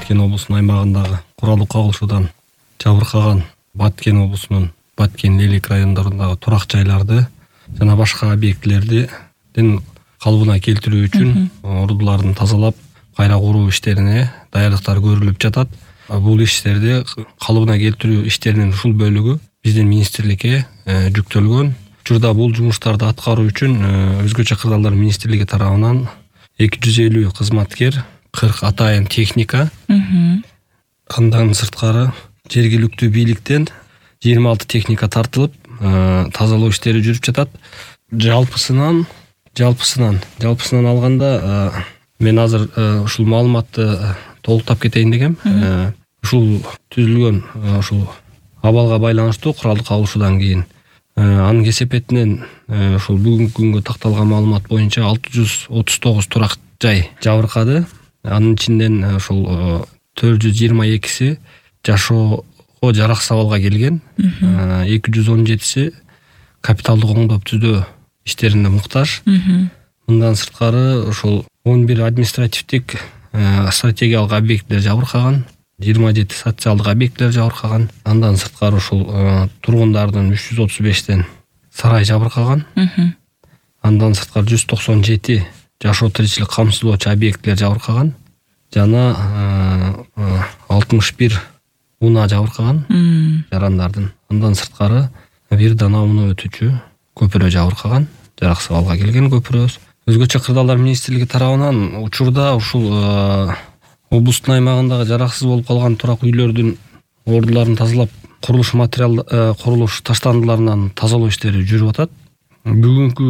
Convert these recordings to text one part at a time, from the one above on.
Баткен облусунун аймагындагы куралдуу кагылышуудан жабыркаган Баткен облусунун Баткен, Лелек райондорундагы турак жайларды жана башка объектилердин калыбына келтирүү үчүн ордуларын тазалап кайра куруу иштерине даярдыктар көрүлүп жатат. Бул иштерди калыбына келтирүү иштеринин ушул бөлүгү биздин министрликке жүктөлгөн. Учурда бул жумуштарды аткаруу үчүн өзгөчө кырдаалдар министрлиги тарабынан 250 кызматкер, 40 атайын техника, андан сырткары жергиликтүү бийликтен 26 техника тартылып, тазалоо иштери жүрүп жатат. Жалпысынан алганда мен азыр ушул маалыматты толуктап кетейин дегем. Ушул түзүлгөн ушул абалга байланыштуу куралдуу кагылышуудан кийин анын кесепетинен ушул бүгүнкү күнгө такталган маалымат боюнча 639 турак жай жабыркады. Анын ичинен ушул 422си жашоого жараксыз абалга келген, 217си капиталдык оңдоп түзөө иштерине муктаж. Мындан сырткары ушул 11 административдик стратегиялык объектилер жабыркаган, 27 социалдык объектилер жабыркаган. Андан сырткары ушул тургундардын 335тен сарай жабыркаган. Андан сырткары 197 жашоо тиричилик камсыздоочу объектилер жабыркаган жана 61 унаа жабыркаган жарандардын. Андан сырткары бир дана унаа өтүүчү көпүрө жабыркаган, жараксыз абалга келген көпүрөбүз. Өзгөчө кырдаалдар министрлиги тарабынан учурда ушул облустун аймагындагы жараксыз болуп калган турак үйлөрдүн ордуларын тазалап, курулуш таштандыларынан тазалоо иштери жүрүп атат. Бүгүнкү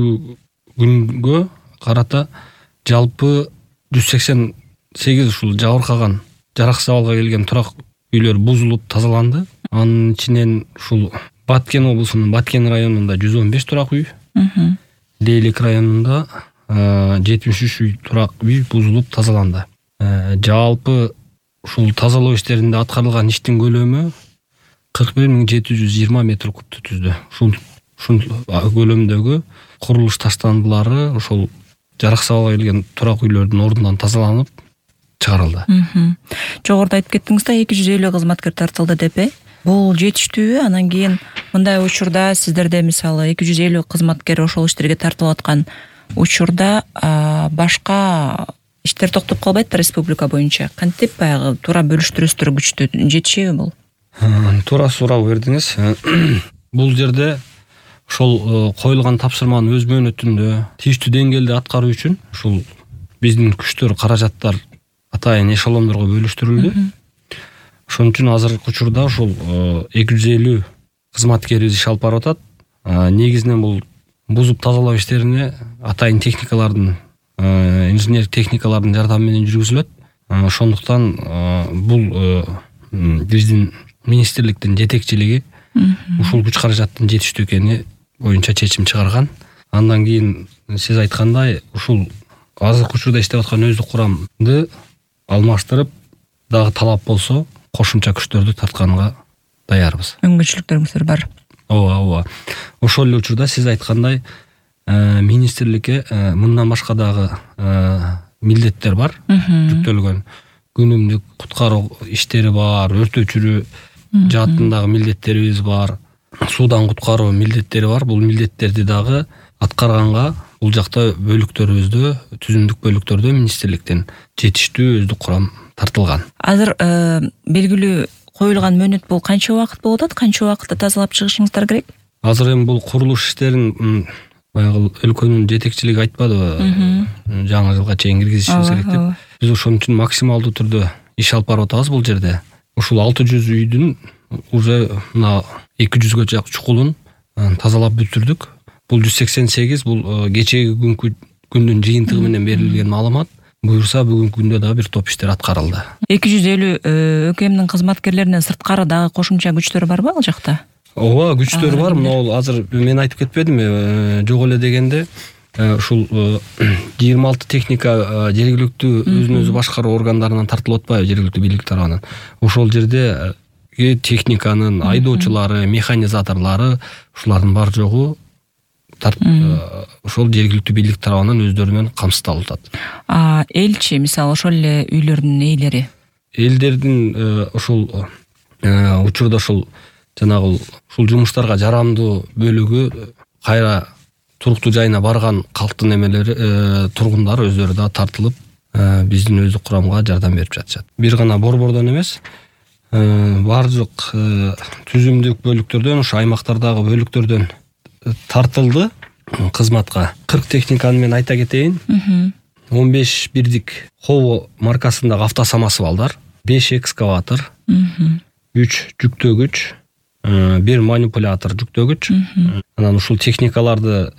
күнгө карата жалпы 188 ушул жабыркаган, жараксыз абалга келген турак үйлөр бузулуп тазаланды. Анын ичинен ушул Баткен облусунун Баткен районунда 115 турак үй, Лелек районунда 73 үй турак үй бузулуп тазаланды. Жалпы ушул тазалоо иштеринде аткарылган иштин көлөмү 41.720 метр кубту түздү. Ушул көлөмдөгү курулуш таштандылары ушул жараксыз абалга келген турак үйлөрдүн ордунан тазаланып чыгарылды. Жогоруда айтып кеттиңиз да 250 кызматкер тартылды деп. Бул жетиштүүбү? Анан кийин мындай учурда сиздерде мисалы 250 кызматкер ошол иштерге тартылып аткан учурда башка иштер токтоп калбайт республика боюнча. Кантип баягы туура бөлүштүрөсүздөр күчтү жетишеби бул? Туура суроо бердиңиз. Бул жерде ошол коюлган тапшырманын өз мөөнөтүндө тийиштүү деңгээлде аткаруу үчүн ушул биздин күчтөр, каражаттар атайын эшелондорго бөлүштүрүлдү. Ошон үчүн азыркы учурда ушул 250 кызматкерибиз иш алып барып атат. Негизинен бул бузуп тазалоо иштерине атайын техникалардын, инженер техникалардын жардамы менен жүргүзүлөт. Ошондуктан бул биздин министрликтин жетекчилиги ушул күч каражаттын жетиштүү экени боюнча чечим чыгарган. Андан кийин сиз айткандай ушул азыркы учурда иштеп аткан өздүк курамды алмаштырып, дагы талап болсо кошумча күчтөрдү тартканга даярбыз. Мүмкүнчүлүктөрүңүздөр бар. Ооба. Ошол эле учурда сиз айткандай министрликке мындан башка дагы милдеттер бар, жүктөлгөн. Күнүмдүк куткаруу иштери бар, өрт өчүрүү жаатындагы милдеттерибиз бар, суудан куткаруу милдеттери бар. Бул милдеттерди дагы аткарганга бул жакта бөлүктөрүбүздө, түзүмдүк бөлүктөрдө министрликтен жетиштүү өздүк курам тартылган. Азыр белгилүү коюлган мөөнөт бул канча убакыт болуп атат? Канча убакытта тазалап чыгышыңыздар керек? Азыр эми бул курулуш иштерин баягы өлкөнүн жетекчилиги айтпадыбы? Жаңы жылга чейин киргизишибиз керек деп. Биз ошон үчүн максималдуу түрдө иш алып барып атабыз бул жерде. Ушул 600 үйдүн уже мына 200гө жакын чукулун тазалап бүтүрдүк. Бул 188 бул кечеги күндүн жыйынтыгы менен берилген маалымат. Буюрса бүгүнкү күндө дагы бир топ иштер аткарылды. 250 ÖKMдин кызматкерлеринен сырткары дагы кошумча күчтөр барбы ал жакта? Ооба, күчтөр бар. Мына азыр мен айтып кетпедимби? Жок эле дегенде ушул 26 техника жергиликтүү өзүн өзү башкаруу органдарынан тартылып атпайбы, жергиликтүү бийлик тарабынан. Ошол жерде техниканын айдоочулары, механизаторлору ушулардын бар жогу ошол жергиликтүү бийлик тарабынан өздөрүнөн камсыздалып атат. Элчи, мисалы, ошол эле үйлөрдүн ээлери элдердин ушул учурда ушул жанагы ушул жумуштарга жарамдуу бөлүгү кайра туруктуу жайына барган калктын эмелери тургундары өздөрү да тартылып биздин өздүк курамга жардам берип жатышат. Бир гана борбордон эмес, баардык түзүмдүк бөлүктөрдөн, ушу аймактардагы бөлүктөрдөн тартылды кызматка. 40 техниканы мен айта кетейин. 15 бирдик Хово маркасындагы автосамосвалдар, 5 экскаватор, 3 жүктөгүч, 1 манипулятор жүктөгүч. Анан ушул техникаларды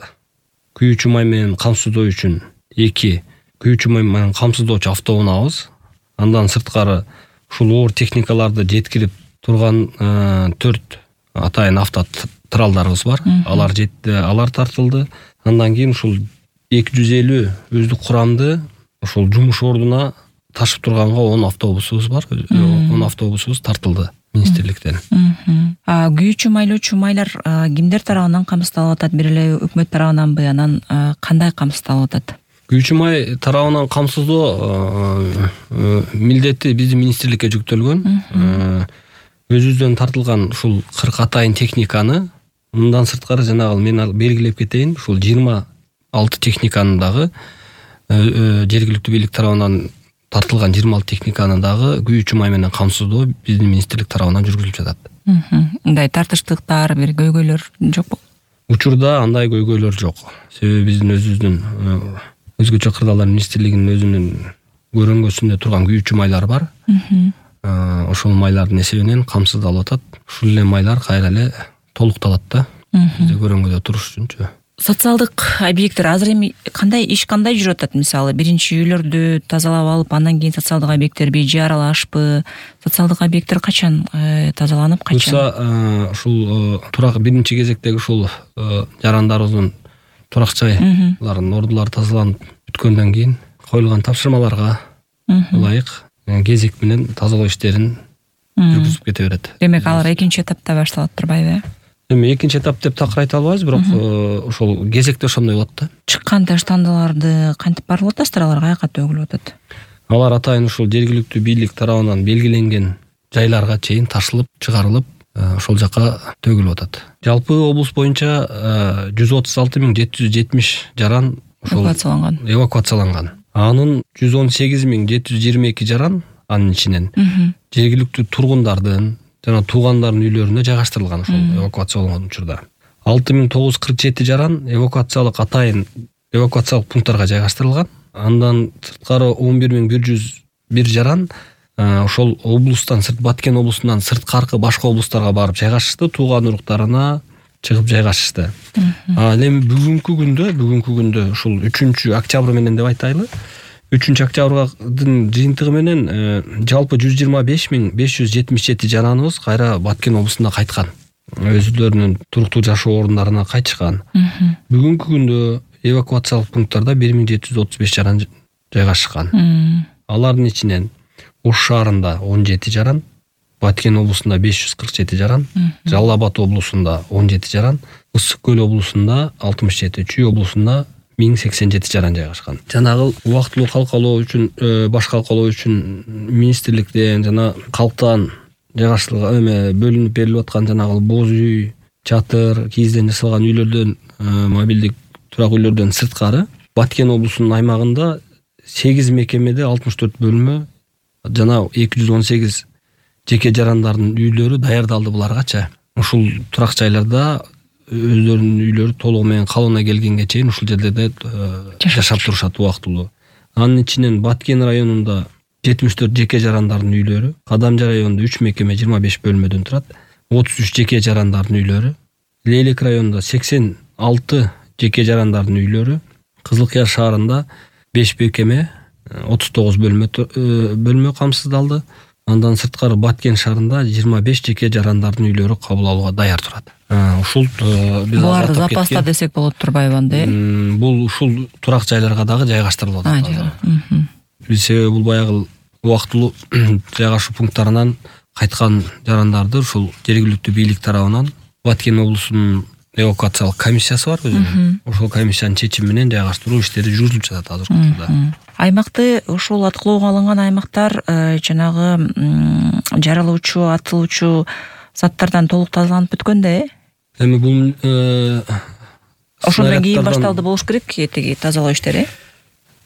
күйүүчү май менен камсыздоо үчүн 2 күйүүчү май менен камсыздоочу автоунаабыз. Андан сырткары ушул оор техникаларды жеткирип турган 4 атайын автотралдарыбыз бар. Алар тартылды. Андан кийин ушул 250 өздүк курамды ушул жумуш ордуна ташып турганга 10 автобусубуз бар. 10 автобусубуз тартылды министрликтен. Күйүүчү майлоочу майлар кимдер тарабынан камсыздалып атат? Бир эле өкмөт тарабынанбы, анан кандай камсыздалып атат? Күйүүчү май тарабынан камсыздоо милдети биздин министрликке жүктөлгөн. Өзүбүздөн тартылган ушул 40 атайын техниканы, мындан сырткары жанагы мен белгилеп кетейин, ушул 26 техниканы дагы жергиликтүү бийлик тарабынан тартылган 26 техниканы дагы күйүүчү май менен камсыздоо биздин министрлик тарабынан жүргүзүлүп жатат. Мындай тартыштыктар, бир көйгөйлөр жокпу? Учурда андай көйгөйлөр жок. Себеби биздин өзүбүздүн өзгөчө кырдаалдар министрлигинин өзүнүн көрөңгөсүндө турган күйүүчү майлар бар. Ошол майлардын эсебинен камсыздалып атат. Ушул эле майлар кайра эле толукталат да. Бизде көрөңгөдө туруш үчүнчү. Социалдык объекттер азыр эми кандай жүрүп атат? Мисалы, биринчи үйлөрдү тазалап алып, андан кийин социалдык объекттерби же аралашпы? Социалдык объекттер качан тазаланып, качан? Ушул биринчи кезектеги ушул жарандарыбыздын турак жайларын ордулары тазаланып бүткөндөн кийин коюлган тапшырмаларга ылайык кезек менен тазалоо иштерин жүргүзүп кете берет. Демек алар экинчи этапта башталат турбайбы? Эми экинчи этап деп такыр айта албайбыз, бирок ошол кезекте ошондой болот да. Чыккан таштандыларды кантип барылып атасыздар? Алар каяка төгүлүп атат? Алар атайын ушул жергиликтүү бийлик тарабынан белгиленген жайларга чейин ташылып, чыгарылып, ошол жака төгүлүп атат. Жалпы облус боюнча 136.770 жаран эвакуацияланган. Анын 118.722 жаран анын ичинен жергиликтүү тургундардын жана туугандардын үйлөрүнө жайгаштырылган ошол эвакуацияланган учурда. 6.947 жаран атайын эвакуациялык пункттарга жайгаштырылган. Андан сырткары 11.101 жаран ошол облустан Баткен облусунан сырткаркы башка облустарга барып жайгашышты, тууган уруктарына чыгып жайгашышты. Эми бүгүнкү күндө ушул 3-октябрь менен деп айтайлы. 3-октябрдын жыйынтыгы менен жалпы 125.577 жараныбыз кайра Баткен облусунда кайткан. Өздөрүнүн туруктуу жашоо орундарына кайтышкан. Бүгүнкү күндө эвакуациялык пункттарда 1.735 жаран жайгашкан. Алардын ичинен Ош шаарында 17 жаран, Баткен облусунда 547 жаран, Жалал Абад облусунда 17 жаран, Ысык көл облусунда 67, Чүй облусунда 1087 жаран жайгашкан. Жанагы убактылуу калкалоо үчүн, баш калкалоо үчүн министрликтен жана калктан жайгаштырылган бөлүнүп берилип аткан жанагы боз үй, чатыр, кийизден жасалган үйлөрдөн, мобилдик турак үйлөрдөн сырткары Баткен облусунун аймагында 8 мекемеде 64 бөлмө жана 218 жеке жарандардын үйлөрү даярдалды буларгача. Ушул турак жайларда өздөрүнүн үйлөрү толугу менен калыбына келгенге чейин ушул жерлерде жашап турушат убактылуу. Анын ичинен Баткен районунда 74 жеке жарандардын үйлөрү, Кадамжа районунда 3 мекеме 25 бөлмөдөн турат, 33 жеке жарандардын үйлөрү, Лейлек районунда 86 жеке жарандардын үйлөрү, Кызылкыя шаарында 5 мекеме 39 бөлмө камсыздалды. Андан сырткары Баткен шаарында 25 жеке жарандардын үйлөрү кабыл алууга даяр турат. Ушул буларды запаста десек болот турбайбы анда? Бул ушул турак жайларга дагы жайгаштырылып атат. Себеби бул баягы убактылуу жайгашуу пункттарынан кайткан жарандарды ушул жергиликтүү бийлик тарабынан Баткен облусунун эвакуациялык комиссиясы бар өзүнүн. Ошол комиссиянын чечими менен жайгаштыруу иштери жүргүзүлүп жатат азыркы учурда. Аймакты ушул аткылоого алынган аймактар жанагы жарылуучу, атылуучу заттардан толук тазаланып бүткөн да, Эми бул ошондон кийин башталды болуш керек тиги тазалоо иштери.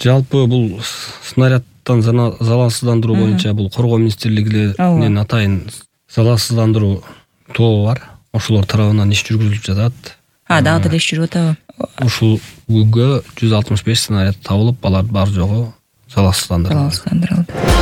Жалпы бул снаряддан залалсыздандыруу боюнча бул Коргоо министрлигинин атайын залалсыздандыруу тобу бар. Ошолор тарабынан иш жүргүзүлүп жатат. Дагы деле иш жүрүп атабы? Ушул күнгө 165 снаряд табылып, алар бар жогу залалсыздандырылды.